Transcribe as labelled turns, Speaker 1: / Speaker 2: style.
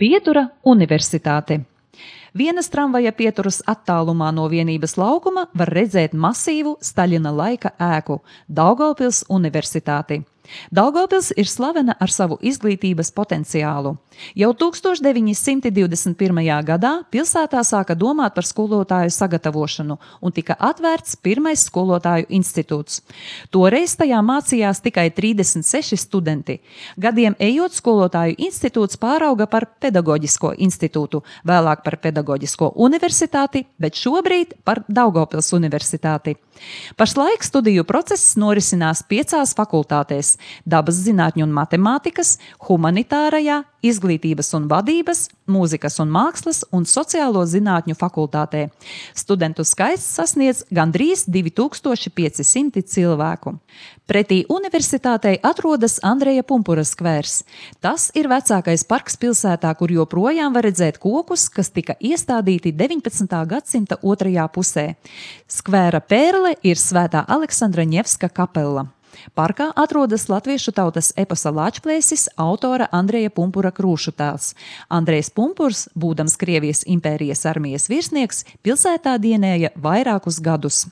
Speaker 1: Pietura Universitāte. Vienas tramvaja pieturas attālumā no Vienības laukuma var redzēt masīvu Staļina laika ēku – Daugavpils Universitāti. Daugavpils ir slavena ar savu izglītības potenciālu. Jau 1921. gadā pilsētā sāka domāt par skolotāju sagatavošanu un tika atvērts pirmais skolotāju institūts. Toreiz tajā mācījās tikai 36 studenti. Gadiem ejot, skolotāju institūts pārauga par pedagoģisko institūtu, vēlāk par pedagoģisko universitāti, bet šobrīd par Daugavpils Universitāti. Pašlaik studiju process norisinās 5 fakultātēs – dabas zinātņu un matemātikas, humanitārajā, izglītības un vadības, mūzikas un mākslas un sociālo zinātņu fakultātē. Studentu skaits sasniedz gandrīz 2500 cilvēku. Pretī universitātei atrodas Andreja Pumpura skvērs. Tas ir vecākais parks pilsētā, kur joprojām var redzēt kokus, kas tika iestādīti 19. gadsimta otrajā pusē. Skvēra pērle ir Svētā Aleksandra Ņevska kapela. Parkā atrodas latviešu tautas eposa Lāčplēsis autora Andreja Pumpura krūšutēls. Andrejs Pumpurs, būdams Krievijas impērijas armijas virsnieks, pilsētā dienēja vairākus gadus.